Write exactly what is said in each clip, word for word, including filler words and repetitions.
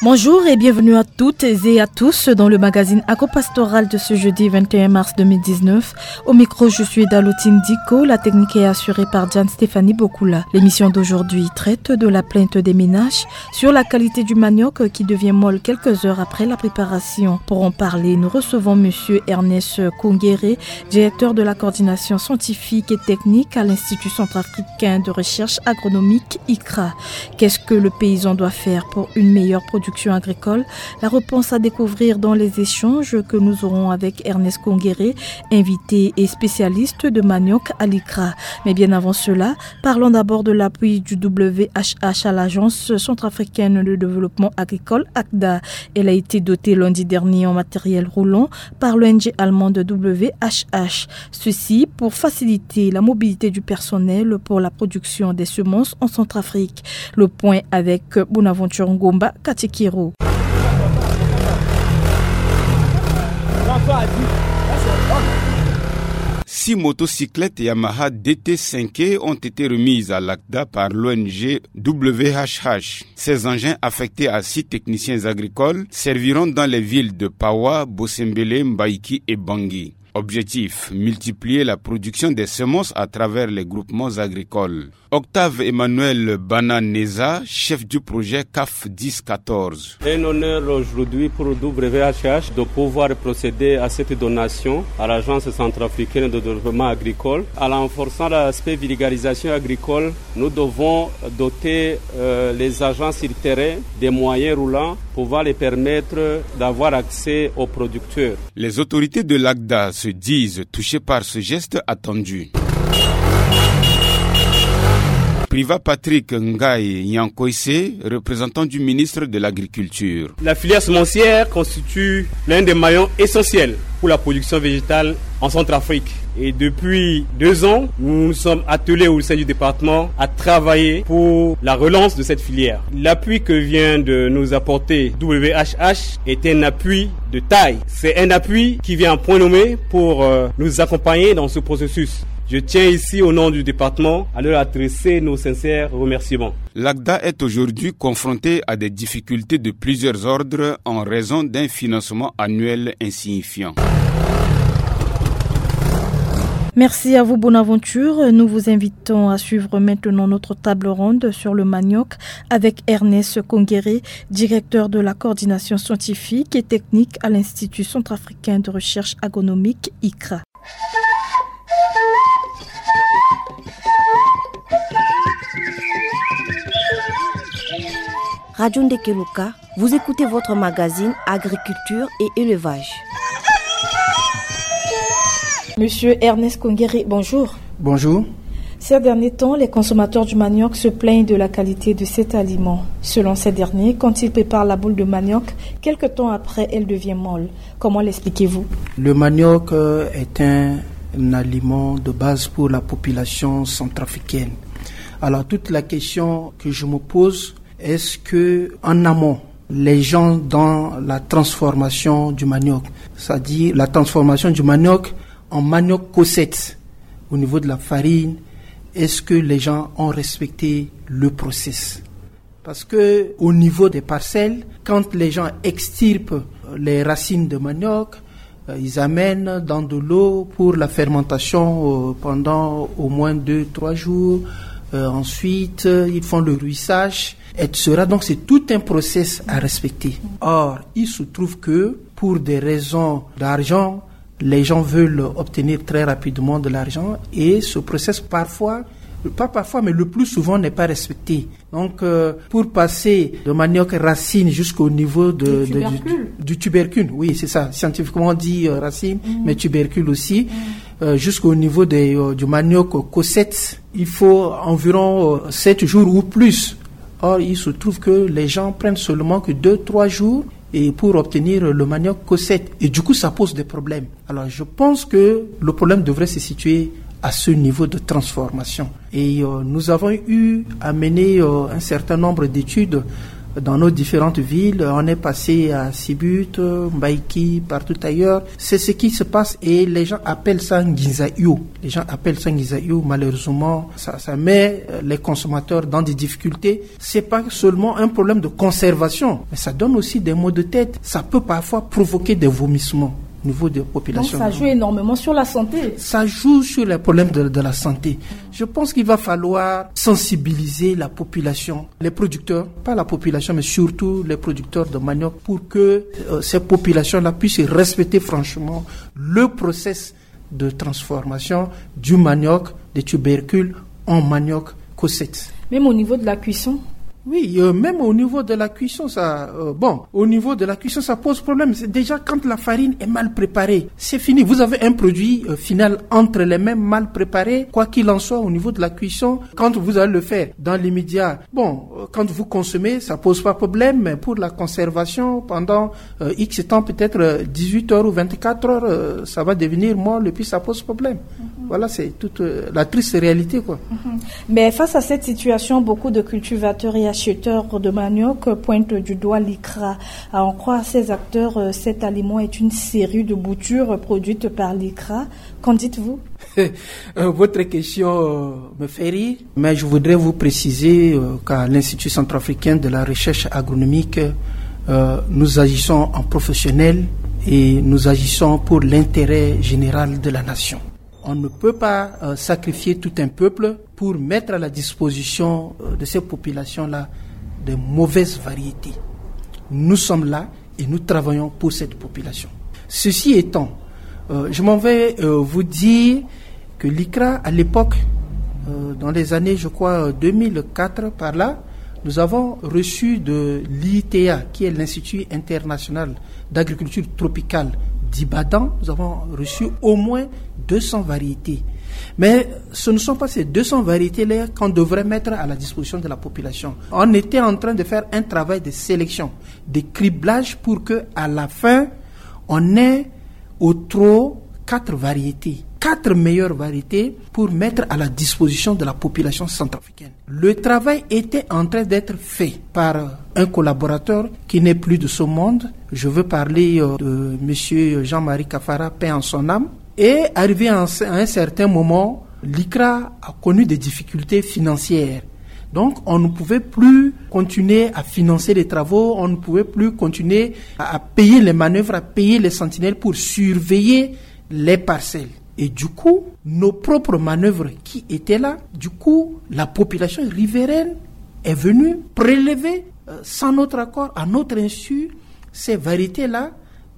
Bonjour et bienvenue à toutes et à tous dans le magazine agropastoral de ce jeudi vingt et un mars deux mille dix-neuf. Au micro, je suis Dalotine Diko. La technique est assurée par Diane Stéphanie Bokula. L'émission d'aujourd'hui traite de la plainte des ménages sur la qualité du manioc qui devient molle quelques heures après la préparation. Pour en parler, nous recevons monsieur Ernest Kongere, directeur de la coordination scientifique et technique à l'Institut centrafricain de recherche agronomique, I C R A. Qu'est-ce que le paysan doit faire pour une meilleure production agricole ? La réponse à découvrir dans les échanges que nous aurons avec Ernest Kongere, invité et spécialiste de manioc à l'I C R A. Mais bien avant cela, parlons d'abord de l'appui du W H H à l'Agence centrafricaine de développement agricole, ACDA. Elle a été dotée lundi dernier en matériel roulant par l'O N G allemande W H H. Ceci pour faciliter la mobilité du personnel pour la production des semences en Centrafrique. Le point avec Bonaventure Ngomba Katikiro. Six motocyclettes Yamaha D T cinq ont été remises à l'ACDA par l'O N G W H H. Ces engins affectés à six techniciens agricoles serviront dans les villes de Pawa, Bosembele, Mbaïki et Bangui. Objectif, multiplier la production des semences à travers les groupements agricoles. Octave Emmanuel Bananeza, chef du projet CAF dix quatorze. Un honneur aujourd'hui pour W H H de pouvoir procéder à cette donation à l'Agence centrafricaine de développement agricole, en renforçant l'aspect vulgarisation agricole. Nous devons doter, euh, les agents sur terrain des moyens roulants pouvant les permettre d'avoir accès aux producteurs. Les autorités de l'ACDA se disent touchées par ce geste attendu. Privat Patrick Ngaye Nyankoise, représentant du ministre de l'Agriculture. La filière semencière constitue l'un des maillons essentiels pour la production végétale en Centrafrique. Et depuis deux ans, nous nous sommes attelés au sein du département à travailler pour la relance de cette filière. L'appui que vient de nous apporter W H H est un appui de taille. C'est un appui qui vient en point nommé pour, euh, nous accompagner dans ce processus. Je tiens ici, au nom du département, à leur adresser nos sincères remerciements. L'ACDA est aujourd'hui confrontée à des difficultés de plusieurs ordres en raison d'un financement annuel insignifiant. Merci à vous, Bonaventure. Nous vous invitons à suivre maintenant notre table ronde sur le manioc avec Ernest Kongere, directeur de la coordination scientifique et technique à l'Institut centrafricain de recherche agronomique, I C R A. Radio Ndekeluka, vous écoutez votre magazine Agriculture et élevage. Monsieur Ernest Kongere, bonjour. Bonjour. Ces derniers temps, les consommateurs du manioc se plaignent de la qualité de cet aliment. Selon ces derniers, quand ils préparent la boule de manioc, quelque temps après, elle devient molle. Comment l'expliquez-vous ? Le manioc, euh, est un, un aliment de base pour la population centrafricaine. Alors, toute la question que je me pose, est-ce que, en amont, les gens dans la transformation du manioc, c'est-à-dire la transformation du manioc en manioc cosette au niveau de la farine, est-ce que les gens ont respecté le process ? Parce que au niveau des parcelles, quand les gens extirpent les racines de manioc, euh, ils amènent dans de l'eau pour la fermentation, euh, pendant au moins deux, trois jours. Euh, ensuite, euh, ils font le ruissage, et cetera. Donc, c'est tout un process à respecter. Or, il se trouve que pour des raisons d'argent, les gens veulent obtenir très rapidement de l'argent et ce process, parfois, pas parfois, mais le plus souvent, n'est pas respecté. Donc, euh, pour passer de manioc racine jusqu'au niveau de, du de, du, tubercule. Du tubercule, oui, c'est ça. Scientifiquement, on dit, euh, racine, mm, mais tubercule aussi, mm, euh, jusqu'au niveau des, euh, du manioc cosette, il faut environ, euh, sept jours ou plus. Or, il se trouve que les gens prennent seulement que deux, trois jours et pour obtenir le manioc cosette. Et du coup, ça pose des problèmes. Alors, je pense que le problème devrait se situer à ce niveau de transformation. Et, euh, nous avons eu à mener, euh, un certain nombre d'études Dans nos différentes villes, on est passé à Sibut, Mbaïki, partout ailleurs. C'est ce qui se passe et les gens appellent ça Nginza Io. Les gens appellent ça Nginza Io. Malheureusement, ça, ça met euh, les consommateurs dans des difficultés. C'est pas seulement un problème de conservation, mais ça donne aussi des maux de tête. Ça peut parfois provoquer des vomissements au niveau des populations. Donc ça joue énormément sur la santé. Ça joue sur les problèmes de, de la santé. Je pense qu'il va falloir sensibiliser la population, les producteurs, pas la population, mais surtout les producteurs de manioc, pour que euh, ces populations-là puissent respecter franchement le process de transformation du manioc, des tubercules en manioc cosette. Même au niveau de la cuisson ? Oui, euh, même au niveau de la cuisson, ça, euh, bon, au niveau de la cuisson, ça pose problème. C'est déjà quand la farine est mal préparée, c'est fini. Vous avez un produit euh, final entre les mains, mal préparé. Quoi qu'il en soit, au niveau de la cuisson, quand vous allez le faire dans l'immédiat, bon, euh, quand vous consommez, ça pose pas problème, mais pour la conservation, pendant euh, X temps, peut-être euh, dix-huit heures ou vingt-quatre heures, euh, ça va devenir molle et puis ça pose problème. Voilà, c'est toute euh, la triste réalité, quoi. Mais face à cette situation, beaucoup de cultivateurs et acheteurs de manioc pointent du doigt l'ICRA. À en croire ces acteurs, euh, cet aliment est une série de boutures produites par l'ICRA. Qu'en dites-vous ? Euh, votre question euh, me fait rire, mais je voudrais vous préciser euh, qu'à l'Institut centrafricain de la recherche agronomique, euh, nous agissons en professionnel et nous agissons pour l'intérêt général de la nation. On ne peut pas euh, sacrifier tout un peuple pour mettre à la disposition euh, de ces populations-là de mauvaises variétés. Nous sommes là et nous travaillons pour cette population. Ceci étant, euh, je m'en vais euh, vous dire que l'ICRA, à l'époque, euh, dans les années, je crois, euh, deux mille quatre, par là, nous avons reçu de l'I I T A, qui est l'Institut international d'agriculture tropicale d'Ibadan, nous avons reçu au moins deux cents variétés. Mais ce ne sont pas ces deux cents variétés-là qu'on devrait mettre à la disposition de la population. On était en train de faire un travail de sélection, de criblage pour que, à la fin, on ait au trop quatre variétés, quatre meilleures variétés pour mettre à la disposition de la population centrafricaine. Le travail était en train d'être fait par un collaborateur qui n'est plus de ce monde. Je veux parler euh, de monsieur Jean-Marie Kafara, paix en son âme. Et arrivé en- à un certain moment, l'ICRA a connu des difficultés financières. Donc, on ne pouvait plus continuer à financer les travaux, on ne pouvait plus continuer à, à payer les manœuvres, à payer les sentinelles pour surveiller les parcelles. Et du coup, nos propres manœuvres qui étaient là, du coup, la population riveraine est venue prélever, euh, sans notre accord, à notre insu, ces variétés-là,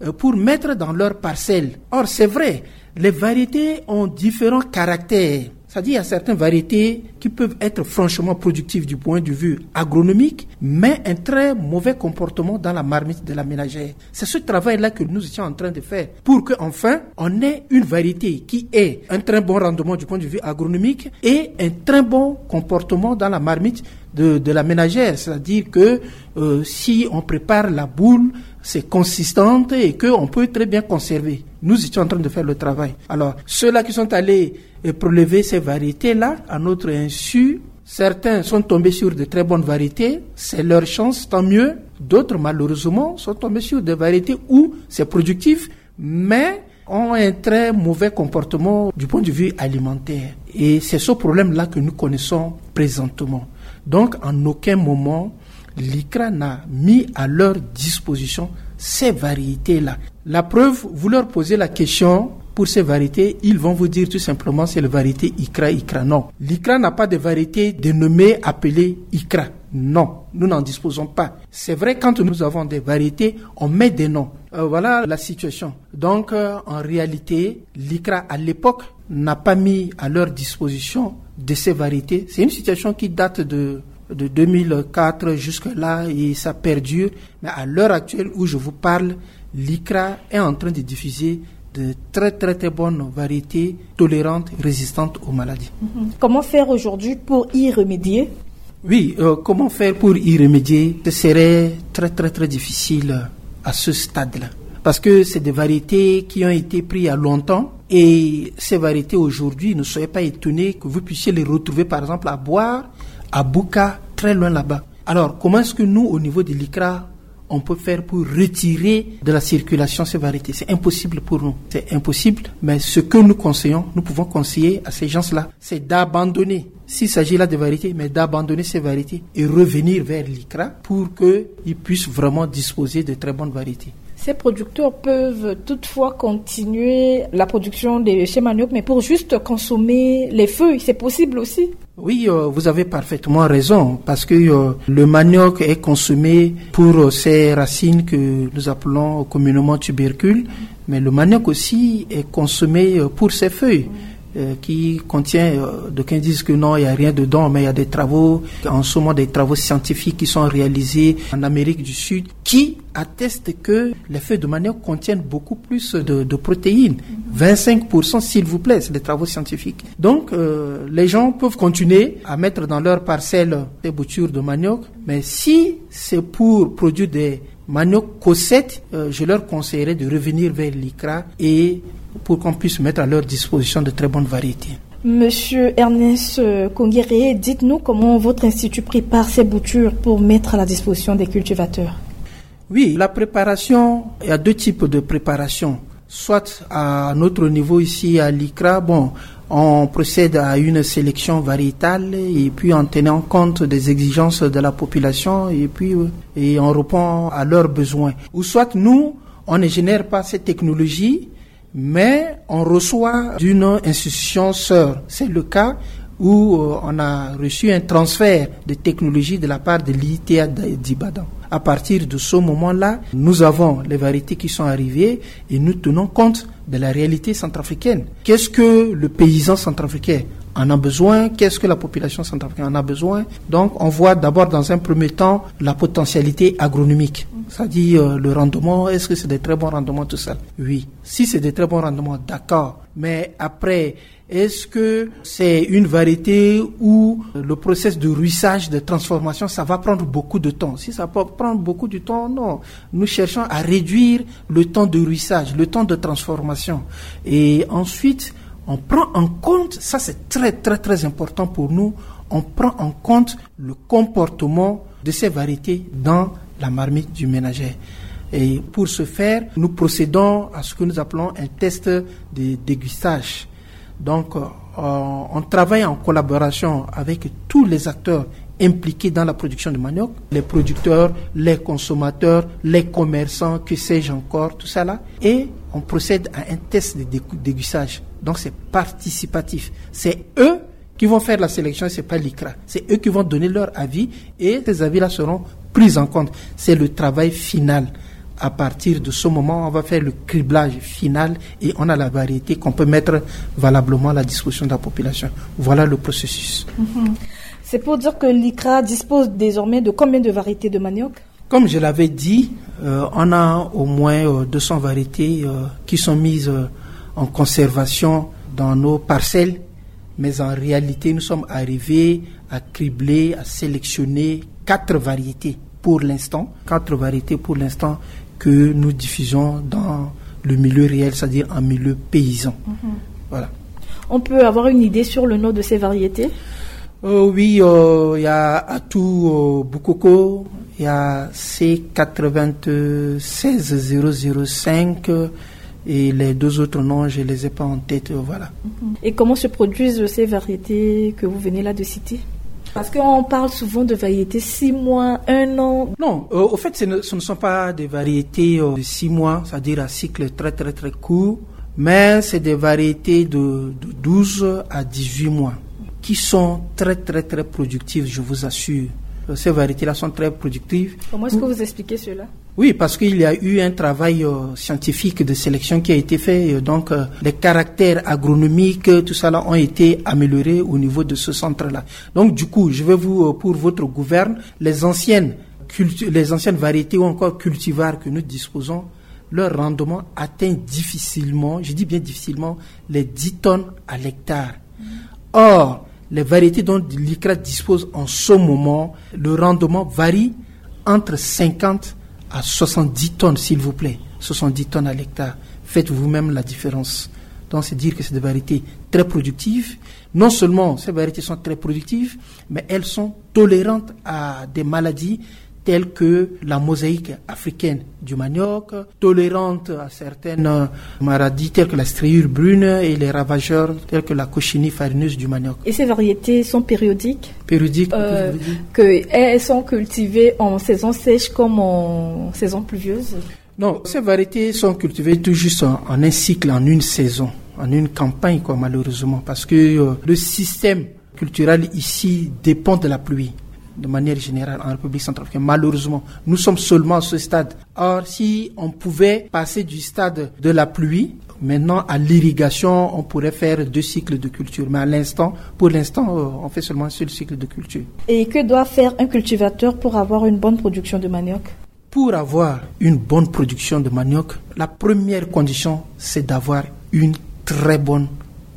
euh, pour mettre dans leurs parcelles. Or, c'est vrai, les variétés ont différents caractères. C'est-à-dire, il y a certaines variétés qui peuvent être franchement productives du point de vue agronomique, mais un très mauvais comportement dans la marmite de la ménagère. C'est ce travail-là que nous étions en train de faire pour qu'enfin, on ait une variété qui ait un très bon rendement du point de vue agronomique et un très bon comportement dans la marmite de, de la ménagère. C'est-à-dire que euh, si on prépare la boule, c'est consistant et qu'on peut très bien conserver. Nous étions en train de faire le travail. Alors, ceux-là qui sont allés euh, prélever ces variétés-là, à notre insu, certains sont tombés sur de très bonnes variétés, c'est leur chance, tant mieux. D'autres, malheureusement, sont tombés sur des variétés où c'est productif, mais ont un très mauvais comportement du point de vue alimentaire. Et c'est ce problème-là que nous connaissons présentement. Donc, en aucun moment, l'ICRA n'a mis à leur disposition ces variétés-là. La preuve, vous leur posez la question pour ces variétés, ils vont vous dire tout simplement c'est la variété ICRA, ICRA. Non, l'ICRA n'a pas de variété dénommée, appelée ICRA. Non, nous n'en disposons pas. C'est vrai, quand nous avons des variétés, on met des noms. Euh, voilà la situation. Donc, euh, en réalité, l'ICRA, à l'époque, n'a pas mis à leur disposition de ces variétés. C'est une situation qui date de, de deux mille quatre jusque-là et ça perdure. Mais à l'heure actuelle où je vous parle, l'ICRA est en train de diffuser de très, très, très bonnes variétés tolérantes, résistantes aux maladies. Mhm. Comment faire aujourd'hui pour y remédier ? Oui, euh, comment faire pour y remédier ? Ce serait très, très, très difficile à ce stade-là. Parce que c'est des variétés qui ont été prises il y a longtemps et ces variétés aujourd'hui, ne soyez pas étonnés que vous puissiez les retrouver, par exemple, à Bouar, à Bouka, très loin là-bas. Alors, comment est-ce que nous, au niveau de l'ICRA, on peut faire pour retirer de la circulation ces variétés? C'est impossible pour nous. C'est impossible, mais ce que nous conseillons, nous pouvons conseiller à ces gens-là, c'est d'abandonner, s'il s'agit là de variétés, mais d'abandonner ces variétés et revenir vers l'ICRA pour qu'ils puissent vraiment disposer de très bonnes variétés. Ces producteurs peuvent toutefois continuer la production de ces maniocs, mais pour juste consommer les feuilles, c'est possible aussi. Oui, euh, vous avez parfaitement raison, parce que euh, le manioc est consommé pour euh, ses racines que nous appelons communément tubercules, mais le manioc aussi est consommé euh, pour ses feuilles, euh, qui contient, euh, d'aucuns disent que non, il n'y a rien dedans, mais il y a des travaux, en ce moment des travaux scientifiques qui sont réalisés en Amérique du Sud, qui attestent que les feuilles de manioc contiennent beaucoup plus de, de protéines. Vingt-cinq pour cent, s'il vous plaît, c'est des travaux scientifiques. Donc, euh, les gens peuvent continuer à mettre dans leur parcelle des boutures de manioc, mais si c'est pour produire des manioc cosette, euh, je leur conseillerais de revenir vers l'ICRA et pour qu'on puisse mettre à leur disposition de très bonnes variétés. Monsieur Ernest, euh, Kongere, dites-nous comment votre institut prépare ses boutures pour mettre à la disposition des cultivateurs. Oui, la préparation, il y a deux types de préparation. Soit à notre niveau ici à l'ICRA, bon, on procède à une sélection variétale et puis en tenant compte des exigences de la population et puis, euh, et on répond à leurs besoins. Ou soit nous, on ne génère pas cette technologie, mais on reçoit d'une institution sœur. C'est le cas où, euh, on a reçu un transfert de technologie de la part de l'IITA d'Ibadan. À partir de ce moment-là, nous avons les variétés qui sont arrivées et nous tenons compte de la réalité centrafricaine. Qu'est-ce que le paysan centrafricain en a besoin? Qu'est-ce que la population centrafricaine en a besoin? Donc, on voit d'abord dans un premier temps la potentialité agronomique, c'est-à-dire, euh, le rendement, est-ce que c'est des très bons rendements, tout ça? Oui. Si c'est des très bons rendements, d'accord. Mais après, est-ce que c'est une variété où le process de ruissage, de transformation, ça va prendre beaucoup de temps? Si ça peut prendre beaucoup de temps, non. Nous cherchons à réduire le temps de ruissage, le temps de transformation. Et ensuite, on prend en compte, ça c'est très, très, très important pour nous, on prend en compte le comportement de ces variétés dans la marmite du ménager. Et pour ce faire, nous procédons à ce que nous appelons un test de déguistage. Donc, euh, on travaille en collaboration avec tous les acteurs impliqués dans la production de manioc, les producteurs, les consommateurs, les commerçants, que sais-je encore, tout ça là. Et on procède à un test de dé-, déguistage. Donc, c'est participatif. C'est eux qui vont faire la sélection, c'est pas l'ICRA. C'est eux qui vont donner leur avis et ces avis-là seront pris en compte. C'est le travail final. À partir de ce moment, on va faire le criblage final et on a la variété qu'on peut mettre valablement à la disposition de la population. Voilà le processus. Mhm. C'est pour dire que l'ICRA dispose désormais de combien de variétés de manioc ? Comme je l'avais dit, euh, on a au moins, euh, deux cents variétés, euh, qui sont mises, euh, en conservation dans nos parcelles. Mais en réalité, nous sommes arrivés à cribler, à sélectionner quatre variétés pour l'instant. Quatre variétés pour l'instant que nous diffusons dans le milieu réel, c'est-à-dire en milieu paysan. Mhm. Voilà. On peut avoir une idée sur le nom de ces variétés ? Euh, oui, euh, il y a Atou, euh, Bukoko, il y a C quatre-vingt-seize zéro zéro cinq, euh, et les deux autres noms, je les ai pas en tête, euh, voilà. Mhm. Et comment se produisent ces variétés que vous venez là de citer ? Parce qu'on parle souvent de variétés six mois, un an. Non, euh, au fait, ce ne, ce ne sont pas des variétés, euh, de six mois, c'est-à-dire à cycle très, très, très court, mais c'est des variétés de, de douze à dix-huit mois qui sont très, très, très productives, je vous assure. Euh, ces variétés-là sont très productives. Comment est-ce que vous expliquez cela ? Oui, parce qu'il y a eu un travail, euh, scientifique de sélection qui a été fait. Euh, donc, euh, les caractères agronomiques, euh, tout ça là ont été améliorés au niveau de ce centre-là. Donc, du coup, je vais vous, euh, pour votre gouverne, les anciennes cultu-, les anciennes variétés ou encore cultivars que nous disposons, leur rendement atteint difficilement, je dis bien difficilement, les dix tonnes à l'hectare. Or, les variétés dont l'ICRA dispose en ce moment, le rendement varie entre cinquante à soixante-dix tonnes, s'il vous plaît. Soixante-dix tonnes à l'hectare. Faites vous-même la différence. Donc, c'est dire que c'est des variétés très productives. Non seulement ces variétés sont très productives, mais elles sont tolérantes à des maladies telles que la mosaïque africaine du manioc, tolérantes à certaines maladies telles que la striure brune et les ravageurs tels que la coccinelle farineuse du manioc. Et ces variétés sont périodiques ? Périodiques, euh, que elles sont cultivées en saison sèche comme en saison pluvieuse ? Non, ces variétés sont cultivées tout juste en, en un cycle, en une saison, en une campagne, quoi, malheureusement, parce que euh, le système culturel ici dépend de la pluie, de manière générale, en République centrafricaine. Malheureusement, nous sommes seulement à ce stade. Or, si on pouvait passer du stade de la pluie maintenant à l'irrigation, on pourrait faire deux cycles de culture. Mais à l'instant, pour l'instant, euh, on fait seulement un seul cycle de culture. Et que doit faire un cultivateur pour avoir une bonne production de manioc ? Pour avoir une bonne production de manioc, la première condition, c'est d'avoir une très bonne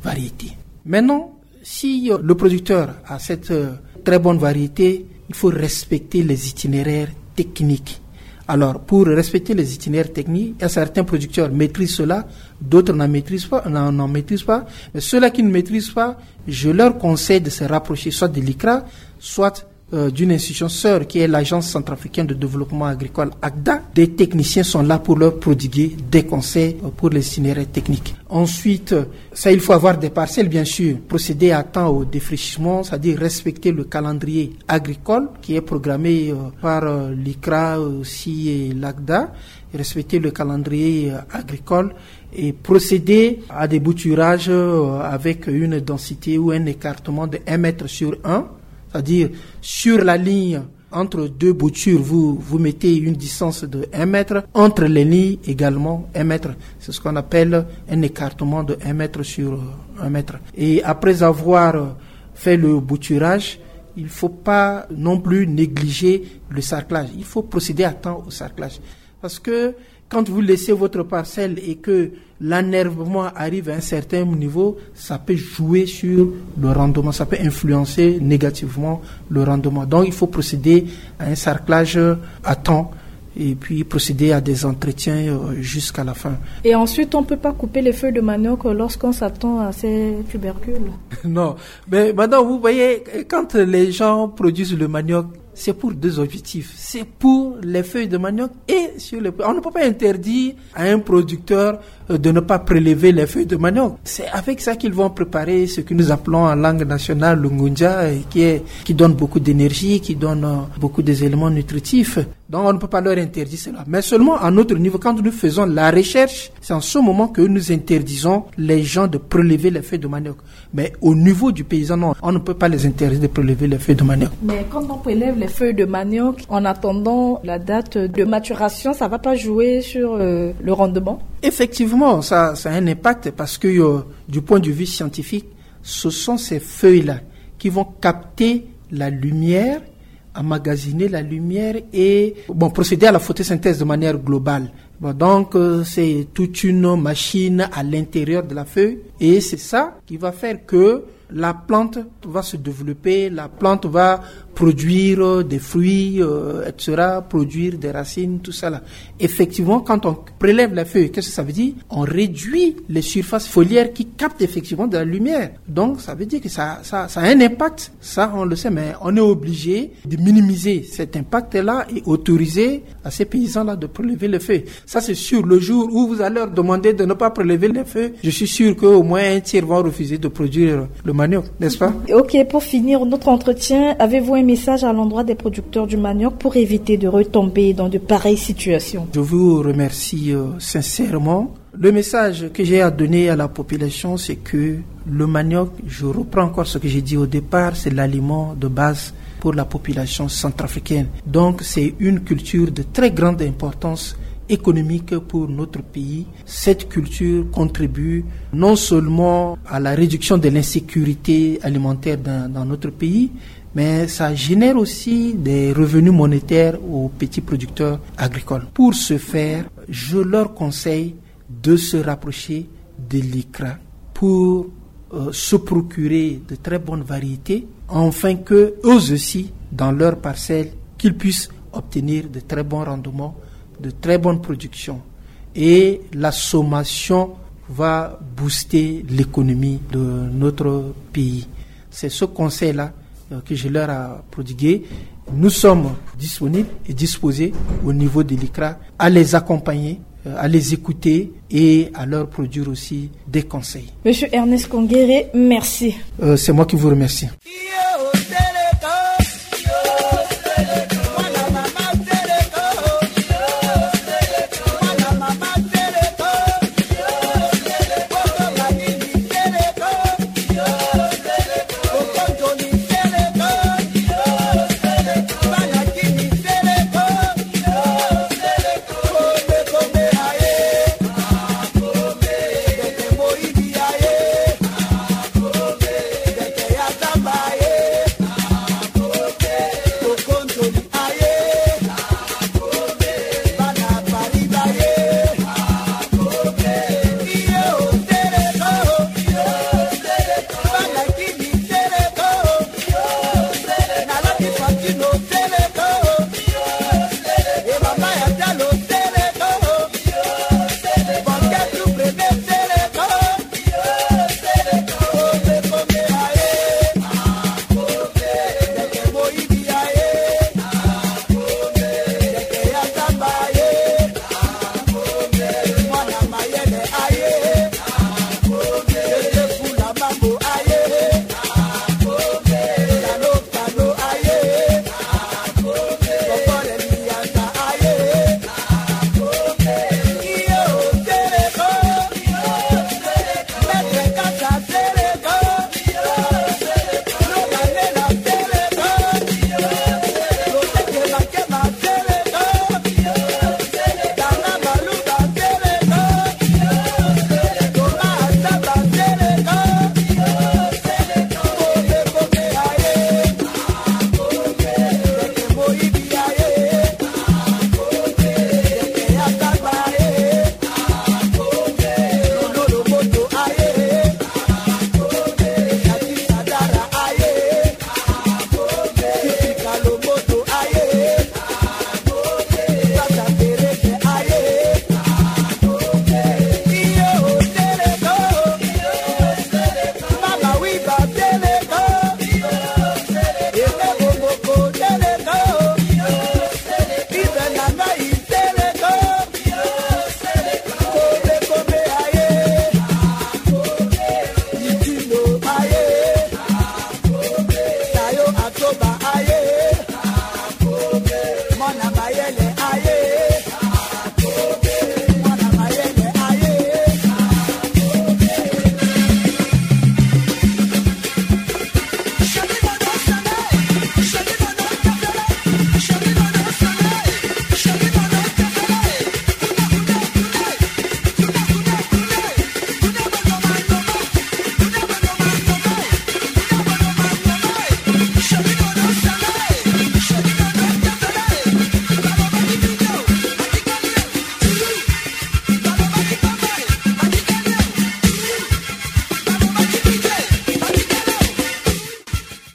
variété. Maintenant, si euh, le producteur a cette euh, très bonne variété, il faut respecter les itinéraires techniques. Alors, pour respecter les itinéraires techniques, il y a certains producteurs maîtrisent cela, d'autres n'en maîtrisent pas, n'en, n'en maîtrisent pas. Mais ceux-là qui ne maîtrisent pas, je leur conseille de se rapprocher soit de l'ICRA, soit euh, d'une institution sœur qui est l'Agence centrafricaine de développement agricole, ACDA. Des techniciens sont là pour leur prodiguer des conseils euh, pour les itinéraires techniques. Ensuite, euh, ça, il faut avoir des parcelles, bien sûr, procéder à temps au défrichement, c'est-à-dire respecter le calendrier agricole qui est programmé euh, par euh, l'ICRA aussi et l'ACDA, respecter le calendrier euh, agricole et procéder à des bouturages euh, avec une densité ou un écartement de un mètre sur un, c'est-à-dire sur la ligne entre deux boutures, vous, vous mettez une distance de un mètre, entre les lignes également un mètre. C'est ce qu'on appelle un écartement de un mètre sur euh, un mètre. Et après avoir euh, fait le bouturage, il ne faut pas non plus négliger le sarclage. Il faut procéder à temps au sarclage. Parce que quand vous laissez votre parcelle et que l'enherbement arrive à un certain niveau, ça peut jouer sur le rendement, ça peut influencer négativement le rendement. Donc, il faut procéder à un sarclage à temps et puis procéder à des entretiens euh, jusqu'à la fin. Et ensuite, on ne peut pas couper les feuilles de manioc lorsqu'on s'attend à ces tubercules ? Non, mais maintenant, vous voyez, quand les gens produisent le manioc, c'est pour deux objectifs. C'est pour les feuilles de manioc et sur les... On ne peut pas interdire à un producteur euh, de ne pas prélever les feuilles de manioc. C'est avec ça qu'ils vont préparer ce que nous appelons en langue nationale le ngunja, et qui, est, qui donne beaucoup d'énergie, qui donne euh, beaucoup d'éléments nutritifs. Donc on ne peut pas leur interdire cela. Mais seulement à notre niveau, quand nous faisons la recherche, c'est en ce moment que nous interdisons les gens de prélever les feuilles de manioc. Mais au niveau du paysan, non, on ne peut pas les interdire de prélever les feuilles de manioc. Mais quand on prélève les feuilles de manioc, en attendant la date de maturation, ça ne va pas jouer sur euh, le rendement ? Effectivement, ça, ça a un impact parce que euh, du point de vue scientifique, ce sont ces feuilles-là qui vont capter la lumière, emmagasiner la lumière et bon, procéder à la photosynthèse de manière globale. Bon, donc, euh, c'est toute une machine à l'intérieur de la feuille et c'est ça qui va faire que la plante va se développer, la plante va produire des fruits, euh, et cetera, produire des racines, tout ça là. Effectivement, quand on prélève la feuille, qu'est-ce que ça veut dire ? On réduit les surfaces foliaires qui captent effectivement de la lumière. Donc, ça veut dire que ça, ça, ça a un impact. Ça, on le sait, mais on est obligé de minimiser cet impact-là et autoriser à ces paysans-là de prélever les feuilles. Ça, c'est sûr. Le jour où vous allez leur demander de ne pas prélever les feuilles, je suis sûr qu'au moins un tiers vont refuser de produire le manioc, n'est-ce pas ? Ok, pour finir notre entretien, avez-vous un message à l'endroit des producteurs du manioc pour éviter de retomber dans de pareilles situations ? Je vous remercie euh, sincèrement. Le message que j'ai à donner à la population, c'est que le manioc, je reprends encore ce que j'ai dit au départ, c'est l'aliment de base pour la population centrafricaine. Donc, c'est une culture de très grande importance économique pour notre pays. Cette culture contribue non seulement à la réduction de l'insécurité alimentaire dans, dans notre pays, mais ça génère aussi des revenus monétaires aux petits producteurs agricoles. Pour ce faire, je leur conseille de se rapprocher de l'ICRA pour euh, se procurer de très bonnes variétés, afin que eux aussi, dans leurs parcelles, qu'ils puissent obtenir de très bons rendements, de très bonnes productions. Et la sommation va booster l'économie de notre pays. C'est ce conseil-là, euh, que je leur ai prodigué. Nous sommes disponibles et disposés au niveau de l'ICRA à les accompagner, euh, à les écouter et à leur produire aussi des conseils. Monsieur Ernest Kongere, merci. Euh, c'est moi qui vous remercie.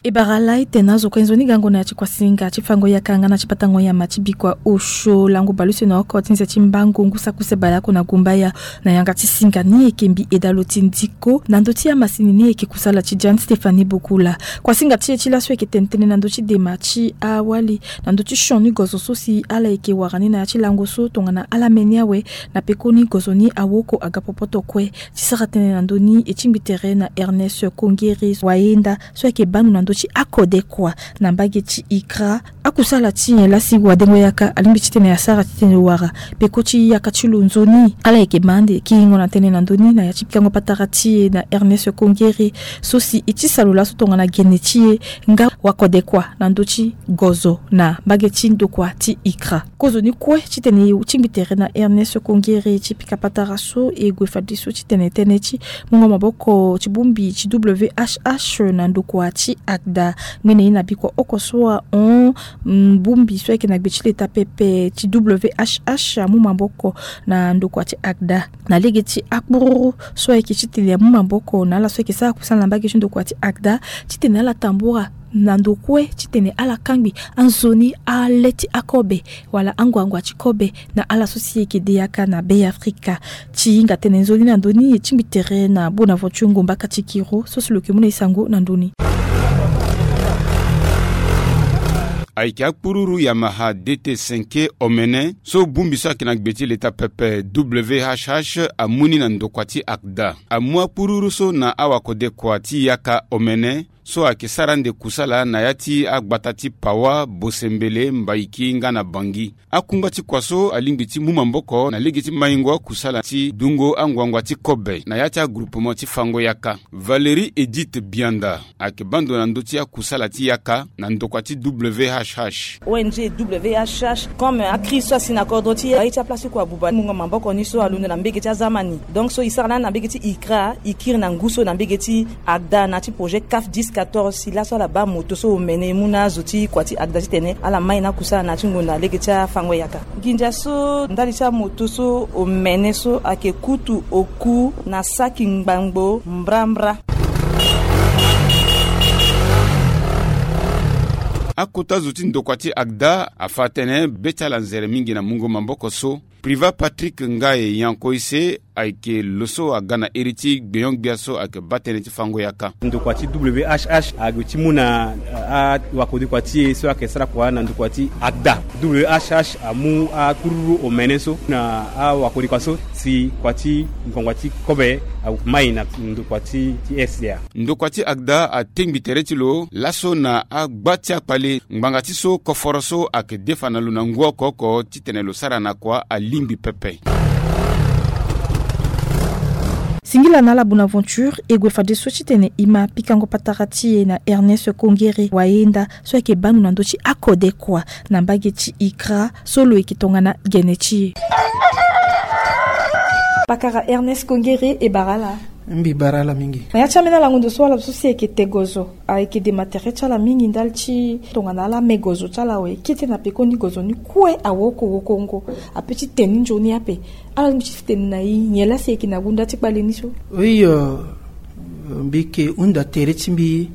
E bara ala ete na azo kue nzoni gango na ya ti kuasinga ti fango yaka nga na ti patango nyama ti bikua osio lango baleuse na oko ti nze ti mbango ngu saki use baleoko na gumbaya. Na yanga ti singa ni eke mbi eda lo ti ndiko na ndö ti amasini ni eke kusala ti Jeanne Stéphanie Bokula. Kuasinga ti e ti laso eke tene tënë na ndö ti dema ti awali na ndö ti sioni gozo so si ala eke wara ni na ya ti lango so tongana ala meni awe. Na pekoni gozo ni awoko aga popoto kue. Ti sara tënë na ndö ni e tingbi tere na Ernest Kongere Wayenda so ayeke banu na ndö ti akodekua na mbage ti ikra. Akusala ti nyen lasi wadengo yaka alingbi titene asara titene wara peko ti yaka ti lo nzoni? Ala yeke ma ande kiringo na tënë na ndö ni na ya ti pikango patara ti e na Ernest Kongere so si e tisa lo laso tongana gene ti e nga wakodekua na ndö ti gozo na mbage ti ndokua ti ikra. Kozoni kue titene e tingbi tere na Ernest Kongere ti pika patara so e gue fadeso titene tënë ti mungo maboko ti bongbi ti W H H na ndokua ti akda. ACDA. Ngbene ye na bikua oko so ahon, mm, bongbi so ayeke na gbe ti leta pepe ti W H H amu maboko na ndokua ti ACDA na lege ti akpururu so ayeke titene amu maboko na ala so ayeke sara kusala na mbage ti ndokua ti ACDA, titene ala tambura na ndo kue titene ala kangbi anzoni ale ti akobe wala anguangua ti kobe na ala so si eke de yaka na Be Afrika. Ti hinga tene nzoni na ndö ni, e tingbi tere na Bonaventure Ngomba Katikiro so si lo yeke mu na e sango na ndö ni. Ayeke akpururu Yamaha D T cinq omene so bongbi so ayeke na gbe ti leta pepe W H H amu ni na ndokua ti ACDA. Amu akpururu so na awakodekua ti yaka omene so ayeke sara ande kusala na ya ti agbata ti Pawa, Bosembele, Mbaiki nga na Bangi. Akungba ti kua so alingbi ti mu maboko na lege ti maingo akusala ti dungo anguangua ti kobe na ya ti agroupement ti fango yaka. Valérie Edith Bianda ayeke baa ndo na ndö ti akusala ti yaka na ndokua ti W H H. O N G W H H, comme acrise so asi na kodro ti e, aye ti aplace ti kua buba mungo maboko ni so alondo na mbage ti aza ma ni. Donc so e sara na ni na mbage ti ICRA, e kiri na ngu so na mbage ti ACDA na ya ti projet CAF dix quatorze, si laso ala baa moto so omene e mu na azo ti kua ti ACDA titene ala mai na akusala na ya ti ngonda lege ti afango yaka. Nginza so ndali ti amoto so omene so ayeke kutu oku na saki ngbangbo mbrambra. Akota zo ti ndokua ti ACDA afa atene be ti ala nzere mingi na mungo maboko so. Privat Patrick Ngaye Yankoise ayeke lo so aga na iri ti gbenyo-gbia so ayeke baa tënë ti fango yaka. Ndokua ti W H H ague ti mu na, ah, awakodekua ti e so ayeke sara kua na ndokua ti ACDA. W H H amu akpururu omene so na awakodekua so si kua ti ngbangba ti kobe amai na ndokua ti, ti S D A. Ndokua ti ACDA atengbi tere ti lo laso na agba ti akpale ngbanga ti so koforo so ayeke defa na lo na ngu oko oko titene lo sara na kua alingbi pepe. Singila na ala Bonaventure, e gue fadeso titene e ma pikango patara ti e na Ernest Kongere Wayenda so ayeke baa ndo na ndö ti akode kua na mbage ti ICRA so lo yeke tongana gene ti e. Pakara Ernest Kongere, e bara ala. Mbi bara ala mingi. Na ya ti ambeni alango ndo so ala so si ayeke te gozo, ayeke dema tere ti ala mingi ndali ti tongana ala me gozo ti ala awe, kete na pekoni gozo ni kue awoko wokongo ape ti te ni nzoni ape. Ala lingbi ti tene na e nyen laa si ayeke na gunda ti kpale ni so? Oui, euh, mbi yeke hunda tere ti mbi,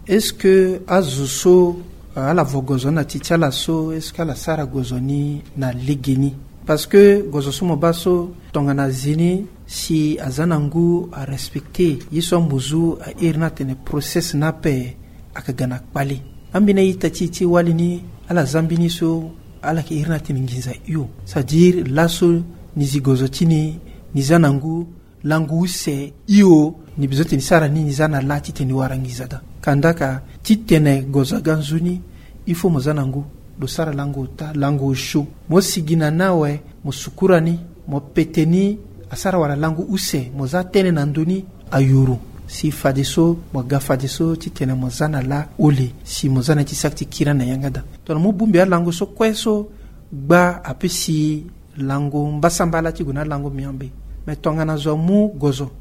est-ce que azo so, euh, ala vo gozo na ti ti ala so, est-ce que ala sara gozo ni na legeni? Parce que gozo so mo baa so tongana azi ni si aza na ngu arespecte ye so amuzu a iri ni atene process ni ape ayeke ga na kpale. Ambeni a-ita ti e ti wali ni ala za mbeni so ala yeke iri ni atene nginza hio. C'est-à-dire laso ni zi gozo ti ni, ni za na ngu lango use hio, ni bezo ti tene ni sara ni, ni za na lâ titene ni wara nginza daa. Kandaka titene gozo aga nzoni, il faut mo za na ngu, lo sara lango ota, lango osio. Mo sigi na ni awe, mo sukura ni, mo pete ni, asara wala lango use, mo za tënë na ndö ni, ayuru. Si fadeso mo ga fadeso titene mo za na lâ ole, si mo za na ni ti saki ti kiri na yanga daa. Tongana mo bongbi alango so kue so gba ape si lango mbasambala ti gue na lango miambe. Me tongana zo amu gozo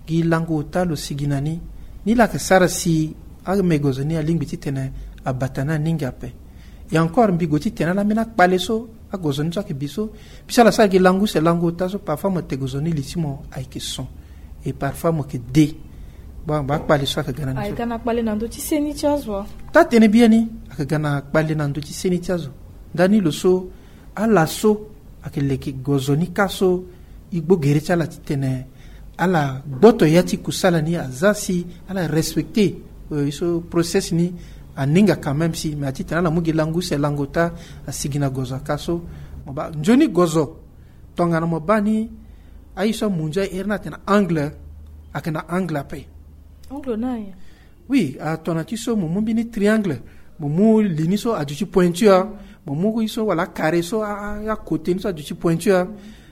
gi lango ota lo sigi na ni, nilaa ayeke sara si ame gozo ni alingbi titene abata ni aninga ape. Et encore mbi gue titene ala ambeni akpale so agozo ni so ayeke bi so, mbi so ala sara gi lango use lango ota so, parfois mo te gozo ni li ti mo ayeke son. Et parfois mo yeke de. Bon, bon, akpale so ayeke ga na ni so. Ayeke na kpale na ndö ti seni ti azo. Taa tënë biani, ayeke ga na kpale na ndö ti seni ti azo. Ndani lo so ala so ayeke leke gozo ni kâ so e gbo gere ti ala titene ala gboto ya ti kusala ni, aza si ala respecte, euh, ye so process ni aninga quand même si, mais atitene ala mu gi lango use lango ota asigi na gozo akâ so. Mo baa nzoni gozo tongana mo baa ni aye so amu nzoni airi ni atene angle, ayeke na angle ape. Angle na ye. Oui, atongana ti so mo mu mbeni triangle, mo mu li ni so aduti pointure, mo mu ye so wala acarré so, a, a, akote ni so aduti pointure.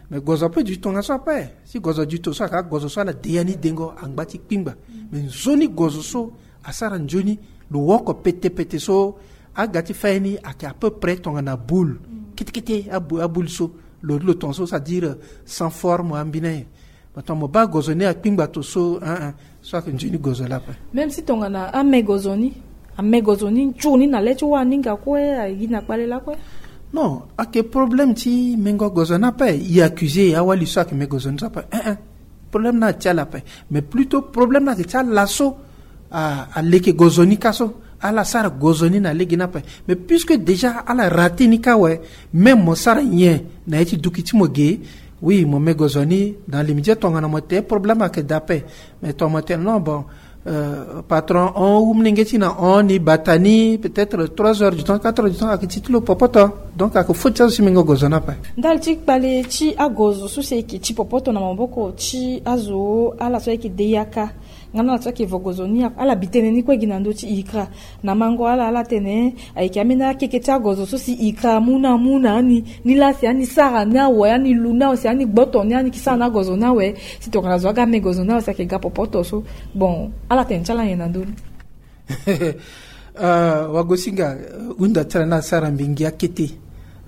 Mais gozo ape duti tongaso ape. Si gozo duti to so ayeke agozo so ala de ya ni dengo angba ti kpingba. Mais nzoni gozo so asara nzoni, lo woko pete pete so aga ti fa ye ni ayeke à peu près tongana boule. Kete kete abou-, aboule so, lo, lo tongaso, c'est-à-dire sans forme ambeni aye. Mo tongana mo baa gozo ni akpingba to so, hein, hein, so ayeke nzoni gozo laa ape. Même si tongana ame gozo ni Ame gozo ni nzoni na le ti wa ninga kue ayi na kpale lakue. Non, ake problème ti mengo gozo ni ape. I accusé awali so ake me gozo ni so ape. Eh, eh. Problème ni ati ala ape. Mais plutôt problème ni ake ti ala so aleke gozo ni ka so, ala sara gozo ni na lege ni ape. Mais puisque déjà ala raté ni ka awe, même mo sara nyen na ye ti duki ti mo ge, oui, mo me gozo ni dans l'immédiat, tongana mo te problème ake daa ape. Mais tongana mo te non, bon, euh, patron, on ou mlenge ti na on ni bata ni peut-être trois heures du temps, quatre heures du temps, ake ti ti lo popoto. Donc ake fo ti azo si mengo gozo ni ape. Ndali ti kpale ti agozo so si eke ti popoto na maboko ti azo ala so eke de yaka. Nga na ala so eke vo gozo ni, ala bi tënë ni kue gi na ndö ti ikra. Na mango ala, ala tene ayeke ambeni akeke ti agozo so si ikra amu na amu na ani, ni laa si ani sara ni awe, ani lu ni awe, si ani gboto ni, ani ke sara ni agozo ni awe. Si tongana zo aga me gozo ni awe si ake ga popoto so. Bon, ala tene ti ala nyen na ndö ni? Euh, wagosinga, euh, hunda ti ala ni asara mbi ngia kete.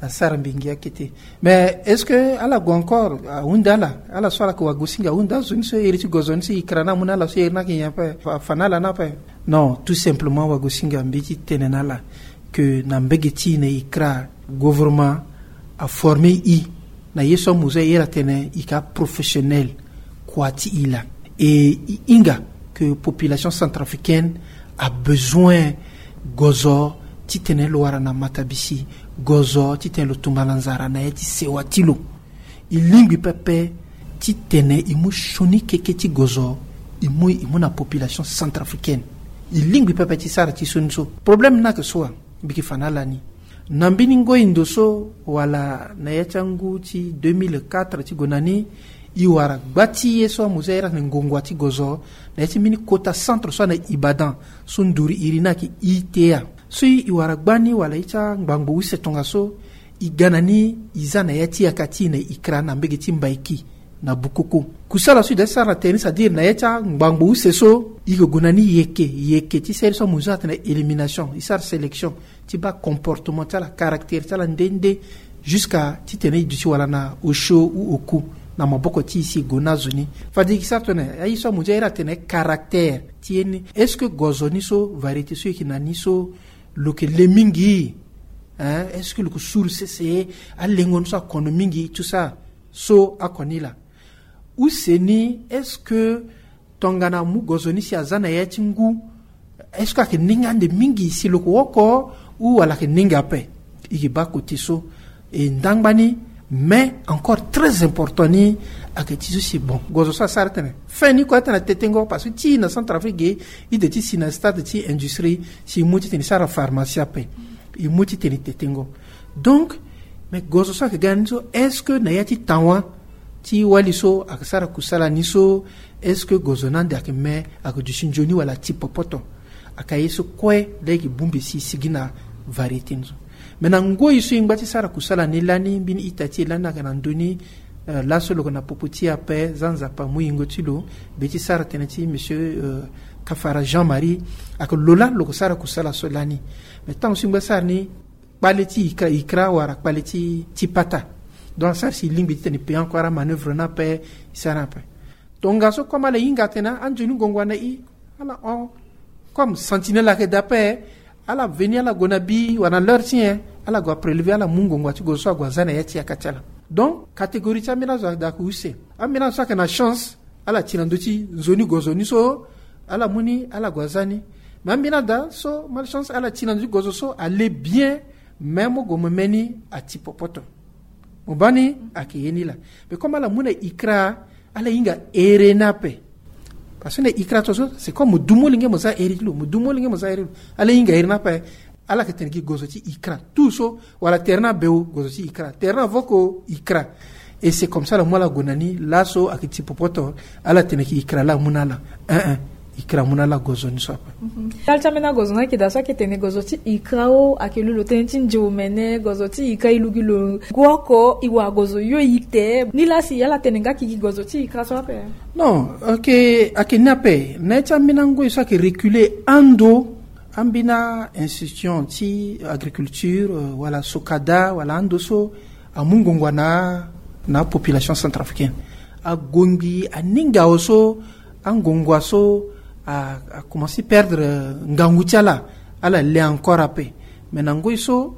Asara mbi ngia kete. Mais est-ce que ala gue encore, euh, ahunda ala, ala so ala ke wagosinga ahunda azo ni so iri ti gozo ni so ikra ni amu na ala so iri ni ake nyen ape, fa, fa na ala ni ape? Non, tout simplement wagosinga, mbi ti tene na ala que na mbege ti e na ikra, gouvernement aforme e na ye so amu so e iri atene e ka professionnel kua ti e laa. E e hinga que population centrafricaine abezoin gozo titene lo wara na matabisi, gozo titene lo tongana nzara na ya ti sewa ti lo. E lingbi pepe titene e mu sioni keke ti gozo, e mu, e mu na population centrafricaine. E lingbi pepe ti sara ti sioni so. Problème ni ayeke so wa, mbi yeke fa na ala ni. Na mbeni ngoi ndo so wala na ya ti angu ti deux mille quatre ti gue na ni, e wara gba ti ye so amu so a iri atene ngongua ti gozo na ya ti mbeni kota centre so ana Ibadan, so nduru iri ni ayeke I T A. So e wara gba ni wala ye ti angbangbo use tongaso, e ga na ni, e za na ya ti yaka ti e na ikra na mbege ti Mbaiki na Bukoko. Kusala so e da ti sara na tere ni, c'est-à-dire na ya ti angbangbo use so, e yeke gue na ni yeke yeke ti sere so amu so atene élimination, e sara sélection ti baa comportement ti ala, caractère ti ala nde nde, jusqu'à titene e duti wala na osio ou oku na maboko ti e si e gue na azo ni. Fade e yeke sara tongana aye so amu so a iri atene caractère ti ye ni. Est-ce que gozo ni so, variété so e yeke na ni so, lo yeke le mingi? Hein? Est-ce que lo yeke suru sese? Alengo ni so akono mingi, tout ça. So akono ni laa. Use ni, est-ce que tongana amu gozo ni si aza na ya ti ngu, est-ce que ayeke nenge ande mingi si lo yeke oko, ou wala ayeke nenge ape? E yeke baa côté so. E ndangba ni, mais encore très important ni, ayeke ti so si, bon, gozo so asara tene fin ni kue atene atetengo, parce que ti e na Centrafrique ge, e de ti si na stade ti industrie, si e mu titene e sara pharmacie ape, e mu titene e tetengo. Donc, mais gozo so ayeke ga na ni so, est-ce que na ya ti tawa ti wali so ayeke sara kusala ni so, est-ce que gozo ni ande ayeke me, ayeke duti nzoni wala ati popoto? Ayeke aye so kue laa e yeke bongbi si e sigi na variété ni so. Mais na ngoi so e ngba ti sara kusala ni lani, mbeni ita ti e lani ayeke na ndö ni, euh, laso lo yeke na popo ti e ape, za Nzapa amu yingo ti lo, be ti sara tënë ti monsieur, euh, Kafara Jean Marie, ayeke lo laa lo yeke sara kusala so lani. Mais ntango so e ngba ti sara ni, kpale ti ikra, ikra wara kpale ti, ti pata. Donc asara si e lingbi titene e payer encore amanœuvre ni ape, e sara ni ape. Tongaso comme ala hinga atene anzoni ngongua na e, ala hon. Comme sentinelle ayeke daa ape, ala veni, ala gue na bi wala na l'heure ti nyen, ala gue aprélever, ala mu ngongua ti gozo so ague aza na ya ti yaka ti ala. Donc catégorie ti ambeni azo ayeke daa ayeke use. Ambeni azo so ayeke na chance, ala ti na ndö ti nzoni gozo ni so, ala mu ni, ala gue aza ni. Mais ambeni ada so malchance, ala ti na ndö ti gozo so, ale bien, mais mo gue mo me ni ati popoto. Mo baa ni, ayeke ye ni laa. Mais comme ala mu na ikra, ala hinga here ni ape. Parce que na ikra to so, c'est comme mo du molenge mo za here ti lo, mo du molenge mo za here ti lo. Ala hinga here ni ape. Ala yeke tene gi gozo ti ikra. Tout so, wala tere ni abeu, gozo ti ikra. Tere ni avoko, ikra. Et c'est comme ça ala mu ala gue na ni, laso ayeke ti popoto, ala tene gi ikra laa amu na ala. Hein, hein. Ikra amu na ala gozo ni so ape. Mhm. Ndali ti ambeni agozo ni ayeke daa so ayeke tene gozo ti ikra o, ayeke lu lo tënë ti nze omene, gozo ti ikra e lu gi lo. Guoko, e wara gozo yo e te. Ni laa si ala tene nga gi gozo ti ikra so ape? Non, ayeke, ayeke ni ape. Na ya ti ambeni angoi so ayeke reculer ando, ambeni a-institution ti agriculture, euh, wala SOCADA, wala ando so amu ngongua na, na population centrafricaine. Agongbi aninga awe so, angongua so a, a commencé perdre, euh, ngangu ti ala. Ala le encore ape. Mais na ngoi so,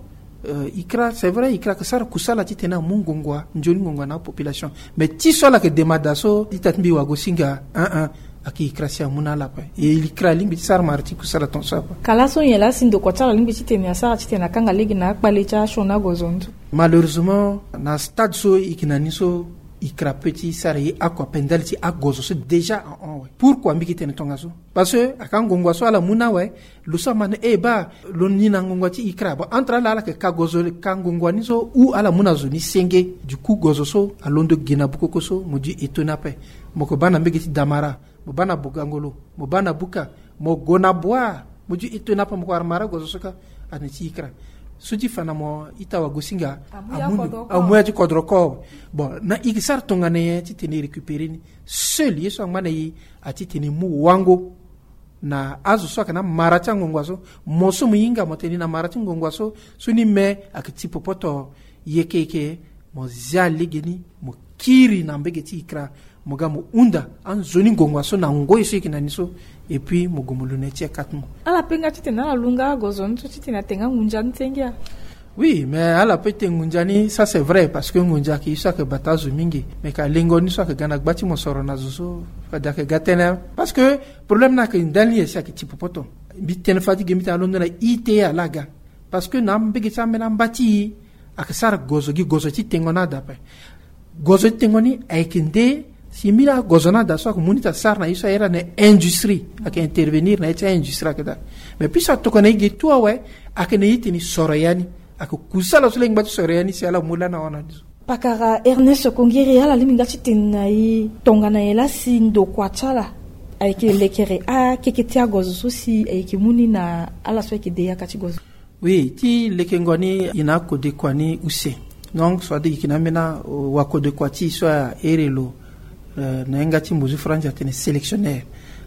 euh, ICRA, c'est vrai, ICRA ayeke sara kusala titene amu ngongoa, nzoni ngongoa na apopulation. Mais ti so ala yeke demanda so ita ti mbi Wagosinga, un un, ayeke ICRA si amu na ala ape. E ICRA alingbi ti sara mara ti kusala tongaso ape. Ka laso nyen laa si ndokua ti ala alingbi titene asara titene akanga lege na akpale ti asioni agozo ni so? Malheureusement, na stade so e yeke na ni so, ICRA apeut ti sara ye oko ape ndali ti agozo so déjà ahon awe. Pourquoi mbi yeke tene tongaso? Parce que aka ngongoa so ala mu na awe, lo so ama na e baa, lo ni na ngongoa ti ICRA. Bon, entre ala, ala yeke ka gozo, ka ngongoa ni so, ou ala mu na zo ni senge. Du coup, gozo so alondo ge na bukoko so, mo du étonné ape. Mo yeke baa na mbege ti Damara, mo baa na Bogangolo, mo baa na Buka, mo gue na Bouar, mo du étonné ape, mo yeke wara mara gozo so kâ, atene ti ICRA. So ti fa na mo, ita Wagosinga, amu ya amu, kodro ko, amu ya ti kodro ko. Bon, na e yeke sara tongana nyen titene e récupérer ni? Seul ye so angba na e, a titene e mu wango na azo so ayeke na mara ti angongoa so. Mo so mo hinga mo tene ni na mara ti ngongoa so, so ni me ayeke ti popoto yeke yeke, mo zia lege ni, mo kiri na mbege ti ICRA, mo ga mo hunda anzoni ngongoa so na ngoi so e yeke na ni so, et puis mo gue mo lu na ye ti akat mo. Ala pe nga titene ala lu nga agozo ni so titene atene nga ngunza ni senge a? Oui, mais ala pe tene ngunza ni, ça c'est vrai, parce que ngunza ayeke ye so ayeke bata azo mingi. Mais ka lengo ni so ayeke ga na gba ti mosoro na zo so, fade ayeke ga tënë. Parce que problème ni ayeke ndali ni si ayeke ti popoto. Mbi tene fade ti ge mbi tene alondo na ITA laa aga. Parce que na mbege ti ambeni amba ti e, ayeke sara gozo gi gozo ti tengo ni ada ape. Gozo ti tengo ni ayeke nde si mbeni agozo ni ada so ayeke mu ni ti asara na ye so a iri na industrie, ayeke intervenir na ye ti aindustrie ayeke daa. Mais puisque atokua na e ge tout awe, ayeke na e tene e soro ya ni. Ayeke kusala so laa e ngba ti soro ya ni si ala mu lani ahon na ni so. Pakara Ernest Kongiri, ala lingbi nga titene na e tongana nyen laa si ndokua ti ala ayeke lekere akeke ti agozo so si ayeke mu ni na ala so ayeke de yaka ti gozo? Oui, ti lekengo ni e na akodekua ni use. Donc so ade e yeke na ambeni, euh, wakodekua ti e so a iri lo, euh, na yanga ti mbozu franzi atene sélectionneur.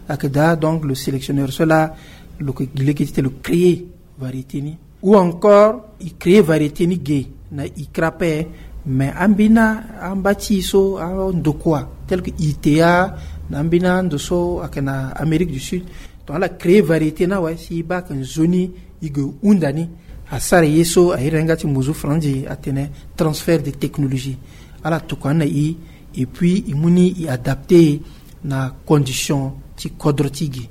Ayeke daa, donc lo sélectionneur so laa lo yeke gi lege titene lo créer variété ni. Ou encore e créer variété ni ge na ICRA ape, mais ambeni amba ti e so andokua tel que ITA, na ambeni ando so ayeke na Amérique du Sud, donc ala créer variété ni awe si e baa ayeke nzoni e gue hunda ni. Asara ye so a iri na yanga ti mbozu franzi atene transfert de technologie. Ala tokua ni na e, et puis e mu ni e adapter na condition ti kodro ti e ge.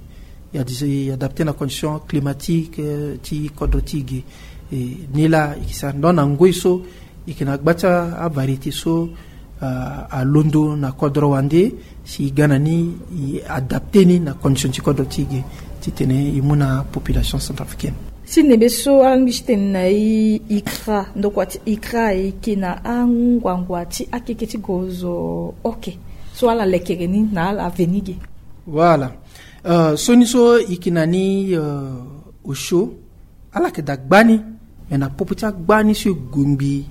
E a-, e adapter na condition climatique, euh, ti kodro ti e ge. E, ni laa e yeke sara. Donc na ngoi so e yeke na gba ti avariété so, euh, alondo na kodro wande, si e ga na ni e adapter ni na condition ti kodro ti e ge, titene e mu na population centrafricaine. Ti nebe so ala lingbi ti tene na e, ICRA, ndokua ti ICRA e yeke na anguangua ti akeke ti gozo, ok, so ala lekere ni na ala veni ge. Voilà. Euh, so ni so e yeke na ni, euh, osio, ala yeke daa gba ni. Mais na popo ti agba ni so e gue ngbii,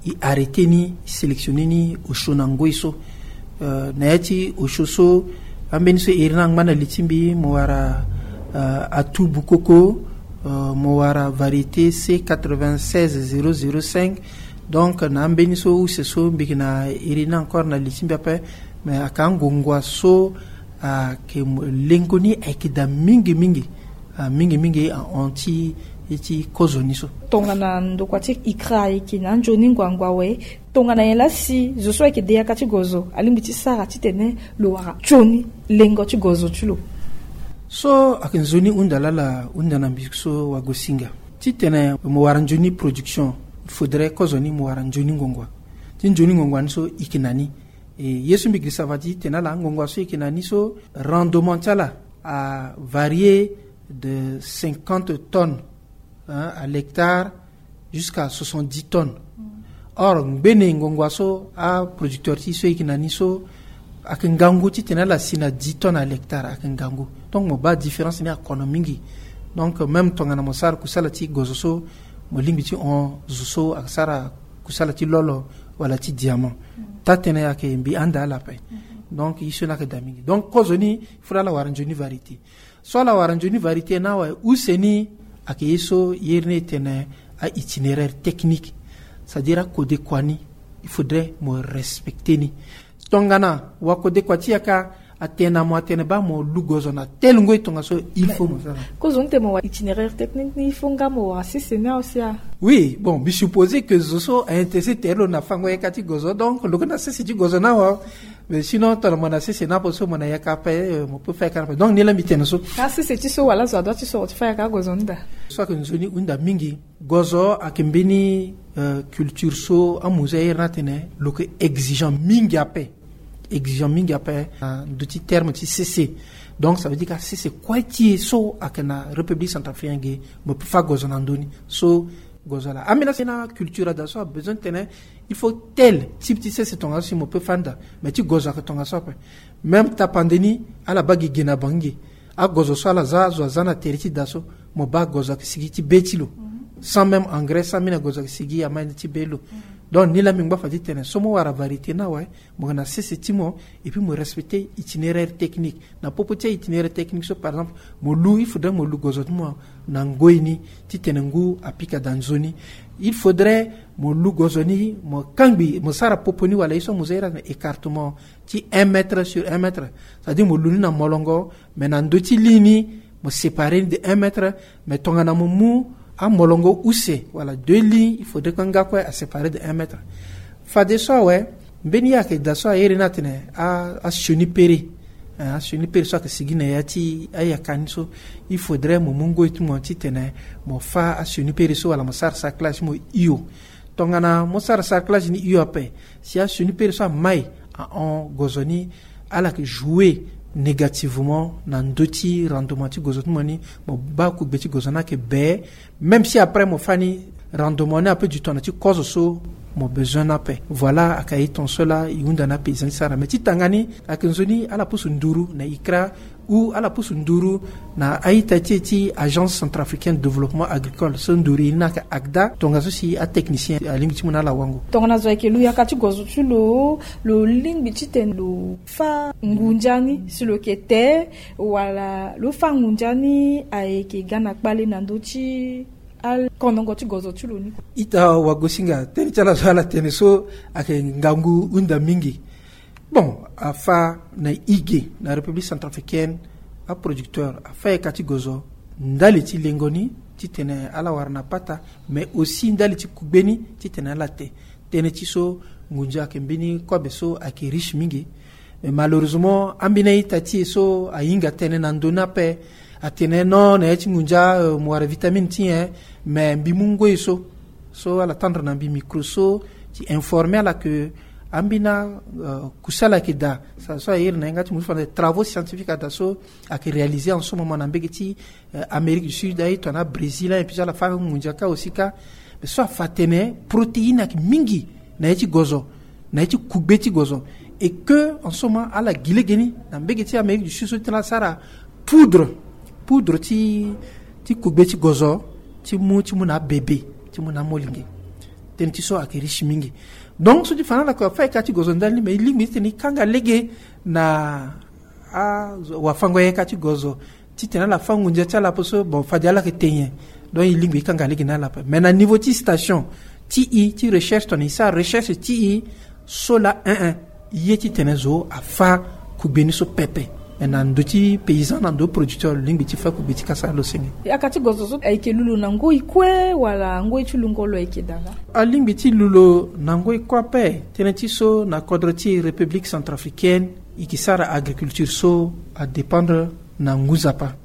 e arrêter ni, e sélectionner ni osio na ngoi so. Euh, na ya ti osio so, ambeni so e iri ni angba na li ti mbi, mo wara, euh, Atou Boukoko, euh, mo wara variété C quatre-vingt-seize zéro zéro cinq. Donc na ambeni so use so mbi yeke na iri ni encore na li ti mbi ape. Mais aka angongua so ayeke mo-, lengo ni ayeke daa mingi mingi. Ah, mingi mingi ahon ti, ti kozo ni so. Tongana ndokua ti ICRA ayeke na anzoni nguangua awe, tongana nyen laa si zo so ayeke de yaka ti gozo alingbi ti sara titene lo wara nzoni lengo ti gozo ti lo? So ayeke nzoni hunda laa ala hunda na mbi so Wagosinga. Titene mo wara nzoni production, il faudrait kozo ni mo wara nzoni nguangua. Ti nzoni nguangua ni so e yeke na ni. E, ye so mbi girisa fade ti tene na ala, ngongua so e yeke na ni so, rendement ti ala a varier de cinquante tonnes, hein, à l'hectare jusqu'à soixante-dix tonnes. Or ngbene ngongua so aproducteur ti e so e yeke na ni so, ayeke ngangu titene ala si na dix tonnes à l'hectare, ayeke ngangu. Donc mo baa différence ni akono mingi. Donc même tongana mo sara kusala ti gozo so, mo lingbi ti hon zo so asara kusala ti lolo wala ti diamant. Taa-tënë ayeke mbi handa ala ape. Donc ye so ni ayeke daa mingi. Donc kozo ni, il faudrait ala wara nzoni variété. So ala wara nzoni variété ni awe, use ni ayeke ye so e iri ni e tene a-itinéraire technique. C'est-à-dire akodekua ni, il faudrait mo respecter ni. Tongana wakodekua ti e aka Atene na mo atene baa mo lu gozo na tel ngoi tongaso, il faut mo sara. Kozoni te mo wara itinéraire technique ni, il faut nga mo wara sese ni aussi a. Oui, bon, mbi supposé que zo so aintéressé tere lo na fango yaka ti gozo, donc lo ke na sese ti gozo na wa. Mais sinon tongana mo na sese na ape so mo na yaka ape, mo peut faire yaka na ape. Donc ni la mbi tene so. Ka sese ti so wala zo adoit ti soro ti fa yaka gozo ni daa. So ayeke nzoni hunda mingi. Gozo ayeke mbeni culture so amuze airi ni atene lo ke exigeant mingi ape. Exigeant mingi ape na ndö ti terme ti sese. Donc ça veut dire ka sese kue ti e so ayeke na République centrafricaine ge, mo peut fa gozo na ndö ni. So gozo laa ambeni asi na culture ada so abesoin tene il faut tel type ti sese tongaso si mo peut fa ni daa. Mais ti gozo ayeke tongaso ape. Même tapande ni ala baa gi ge na bangi ge. Agozo so ala za, azo aza na tere ti da so, mo baa gozo ayeke sigi ti be ti lo. Sans même engrais, sans mini, gozo ayeke sigi ama ti be lo. Donc ni la mbi ngba fa ti tene so mo wara variété ni awe, mo yeke na sese ti mo, et puis mo respecter itinéraire technique. Na popo ti itinéraire technique so par exemple, mo lu, il faudrait mo lu gozo ti mo na ngoi ni, ti tene ngu apika daa nzoni. Il faudrait mo lu gozo ni mo kangbi, mo sara popo ni wala ye so mo za iri atene écartement ti un mètre sur un mètre. C'est-à-dire mo lu ni na molongo, mais na ndö ti ligne ni mo séparer ni de un mètre. Mais tongana mo mu amolongo use wala deux lignes, il faudrait que nga kue aséparer de un mètre. Fadeso awe, mbeni ye ayeke daa so airi ni atene asioni pere. Asioni pere so ayeke sigi na ya ti ayaka ni so, il faudrait mo mu ngoi ti mo ti tene mo fa asioni pere so wala mo sara sarclage ti mo hio. Tongana mo sara sarclage ni hio ape, si asioni pere so amai ahon gozo ni, ala yeke jouer négativement na ndö ti rendement ti gozo ti mo ni. Mo baa kugbe ti gozo ni ayeke bee. Même si après mo fa ni, rendement ni ape du tongana ti kozo so mo besoin ni ape. Voilà, ayeke aye ton so laa e hunda na paysan ti sara. Mais ti tanga ni ayeke nzoni ala pusu nduru na ICRA ou ala pusu nduru na a-ita ti e ti Agence centrafricaine de développement agricole, so nduru e ni ayeke ACDA, tongaso si atechnicien alingbi ti mu na ala wango. Tongana zo ayeke lu yaka ti gozo ti lo, lo lingbi titene lo fa ngunza ni si lo yeke te, wala lo fa ngunza ni ayeke ga na kpale na ndö ti akonongo ti gozo ti lo ni? Ita wagosinga, tënë ti ala so ala tene so ayeke ngangu hunda mingi. Bon, afa na e ge na République centrafricaine, aproducteur afa yaka ti gozo ndali ti lengo ni titene ala wara na pata, mais aussi ndali ti kugbe ni titene ala te. Tënë ti so ngunza ayeke mbeni kobe so ayeke riche mingi. Mais malheureusement ambeni a-ita ti e so ahinga tënë na ndö ni ape, atene non, na ya ti ngunza, euh, mo wara vitamine ti nyen? Mais mbi mu ngoi so, so ala tendre na mbi micro so, ti informer ala que ambeni, euh, kusala ayeke daa. Sa so airi na yanga ti mo so fade travaux scientifiques ada so ayeke réaliser en ce moment na mbege ti, euh, Amérique du Sud, aye tongana Brésil, hein, et puis ala fa ngunza kâ aussi kâ. Mais so afa atene protéine ayeke mingi na ya ti gozo, na ya ti kugbe ti gozo. Et que en ce moment ala gi lege ni na mbege ti Amérique du Sud so ti tene ala sara poudre, poudre ti, ti kugbe ti gozo, ti mu, ti mu na abebe, ti mu na amolenge. Tënë ti so ayeke riche mingi. Donc so ti fa na ala kue afa e ka ti gozo ndali ni, mais e lingbi titene e kanga lege na awafango yaka ti gozo titene ala fa ngunza ti ala ape so, bon, fade ala yeke te nyen. Donc e lingbi e kanga lege na ala ape. Mais na niveau ti station ti e ti recherche, tongana e sara recherche ti e so laa, hein, hein, e ye titene zo afa kugbe ni so pepe. Mais na ndö ti paysan, na ndö ti producteur, lo lingbi ti fa kugbe ti kasa lo senge. Yaka ti gozo so ayeke lu lo na ngoi kue wala ngoi ti lungo lo ayeke daa laa? Alingbi ti lu lo na ngoi kue ape. Tënë ti so na kodro ti République centrafricaine, e yeke sara agriculture so adépendre na ngu nzapa.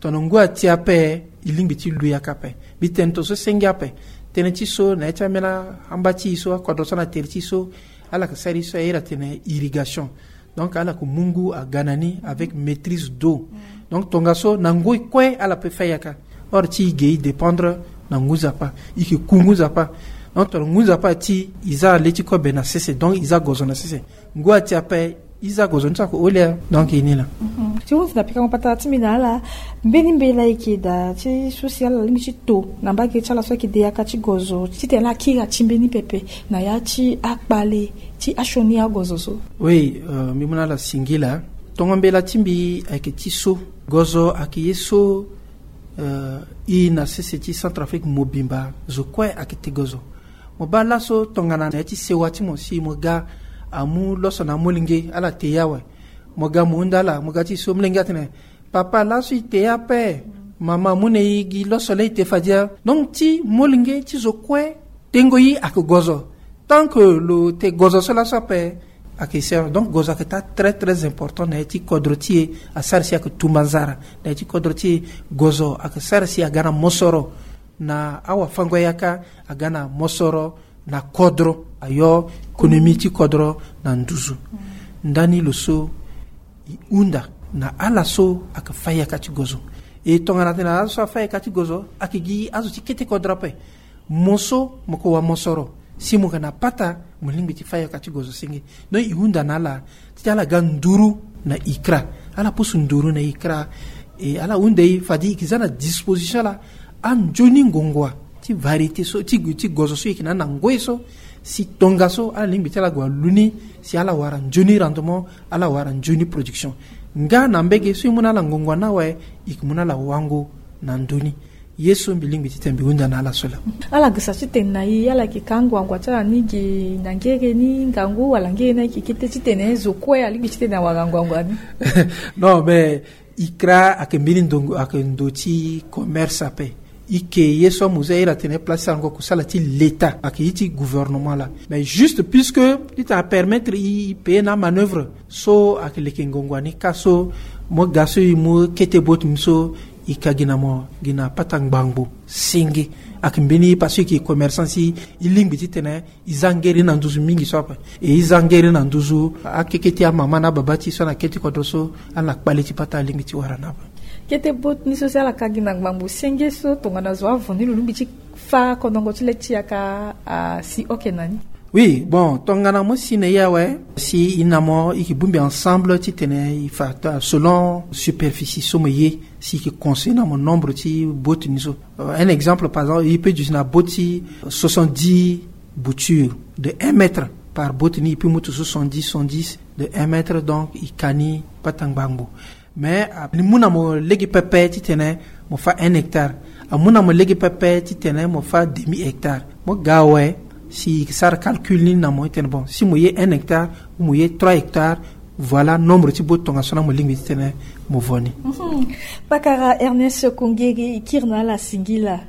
Tongana ngu ati ape, e lingbi ti lu yaka ape. Mbi tene tongaso senge ape. Tënë ti so na ya ti ambeni amba ti e so, akodro so na tere ti e so, ala yeke sara ye so airi atene irrigation. Donc ala yeke mu ngu aga na ni avec maîtrise d'eau. Donc tongaso na ngoi kue ala peut fa yaka. Or ti e ge e dépendre na ngu nzapa, e yeke ku ngu nzapa. Donc tongana ngu nzapa ati, e za le ti kobe na sese, donc e za gozo na sese. Ngu ati ape, e za gozo ni so ayeke hole. Donc e ni laa. Mhm. Ti hunzi na pikango patara ti mbi na ala, mbeni mbela e yeke daa ti so si ala lingbi ti to na mbage ti ala so ayeke de yaka ti gozo titene ala kiri ati mbeni pepe na ya ti akpale ti asioni agozo so? Oui, euh, mbi mu na ala singila. Tongo mbela ti mbi ayeke ti so, gozo ayeke ye so, euh, e na sese ti Centrafrique mobimba zo kue ayeke te gozo. Mo baa laso tongana na ya ti sewa ti mo si mo ga amu loso na amolenge, ala te ye awe. Mo ga mo hunda ala, mo ga ti so molenge atene, papa, laso e te ape. Mama, amu na e gi loso laa e te fade ya. Donc ti molenge ti zo kue, tengo ye ayeke gozo. Tant que lo te gozo so laso ape, ayeke sere. Donc gozo ayeke taa très très important na ya ti kodro ti e. Asara si ayeke tumba nzara na ya ti kodro ti e. Gozo ayeke sara si aga na mosoro na awafango-yaka, aga na mosoro na kodro, ayo économie ti kodro na nduzu. Ndani lo so e hunda na ala so ayeke fâ yaka ti gozo. E tongana tena ala so afâ yaka ti gozo ayeke gi azo ti kete kodro ape. Mo so mo ko wa mosoro si mo yeke na pata, mo lingbi ti fâ yaka ti gozo senge. Donc e hunda na ala ti ala ga nduru na ICRA. Ala pusu nduru na ICRA. E ala hunda e fade e yeke za na disposition laa anzoni ngongoa ti variété so ti, ti gozo so e yeke na ni na ngoi so, si tongaso ala lingbi ti ala gue alu ni, si ala wara nzoni rendement, ala wara nzoni production. Nga na mbege so e mu na ala ngongoa ni awe, e yeke mu na ala wango na ndö ni. Ye so mbi lingbi titene mbi hunda na ala so laa. Ala gesa titene na e ala yeke ka anguangu ti ala ni ge na ngere ni ngangu wala ngere ni ayeke kete titene zo kue alingbi titene awara anguangu ni? Non, mais ICRA ayeke mbeni ndongo, ayeke ndo ti commerce ape. E yeke ye so amu za iri atene place ti alango akusala ti l'État, ayeke ye ti gouvernement laa. Mais juste puisque titene apermettre e, e payer na amanœuvre so ayeke leke ngongoa ni ka so, mo ga so e mu kete bot ni so, e ka gi na mo gi na pata ngbangbo senge. Ayeke mbeni parce que e yeke commerçant si e lingbi titene e za ngere na nduzu mingi so ape. E, e za ngere na nduzu akeke ti amama na ababa ti e so na kete kodro so, ala na kpale ti pata alingbi ti wara ni ape. Kete bot ni so si ala ka gi na ngbangbo senge so tongana zo avo ni lo lingbi ti fâ kondongo ti le ti yaka asi oke na ni? Oui, bon, tongana mo si na e awe, si e na mo e yeke bongbi ensemble titene e fa ta selon superficie so mo ye, si e yeke conseiller na mo nombre ti bot ni so. Euh, un exemple, par exemple, e peut duti na bot ti soixante-dix boutures de un mètre par bot ni, e peut mu ti soixante-dix, soixante-dix de un mètre, donc e ka ni pata ngbangbo. Mais, ah, e mu na mo lege pepe titene mo fâ un hectare. Amu na mo lege pepe titene mo fâ demi hectare. Mo ga awe, si e sara calcul ni na mo titene, bon, si mo ye un hectare ou mo ye trois hectares, voilà nombre ti bot tongaso laa mo lingbi titene mo vo ni. Mhm. Pakara Ernest Kongeri, e kiri na ala singila.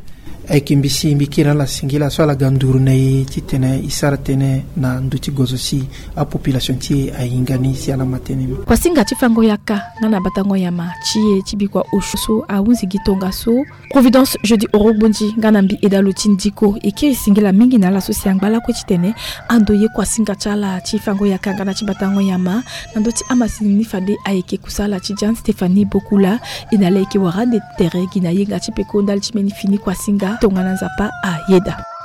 Ayeke mbi si mbi kiri na ala singila so ala ga nduru na e titene e sara tënë na ndö ti gozo si apopulation ti e ahinga ni si ala ma tënë ni. Kuasinga ti fango yaka nga na batango nyama ti e ti bikua osio so ahunzi gi tongaso. Providence Jeudi Orobonzi nga na mbi Edalo ti Ndiko e kiri singila mingi na ala so si angba lakue titene ando ye kuasinga ti ala ti fango yaka nga na ti batango nyama na ndö ti amasini ni fade ayeke kusala ti Jean Stéphanie Bokula. E na ala e yeke wara ande tere gi na yenga ti peko ndali ti mbeni fini kuasinga tongana Nzapa ayeda.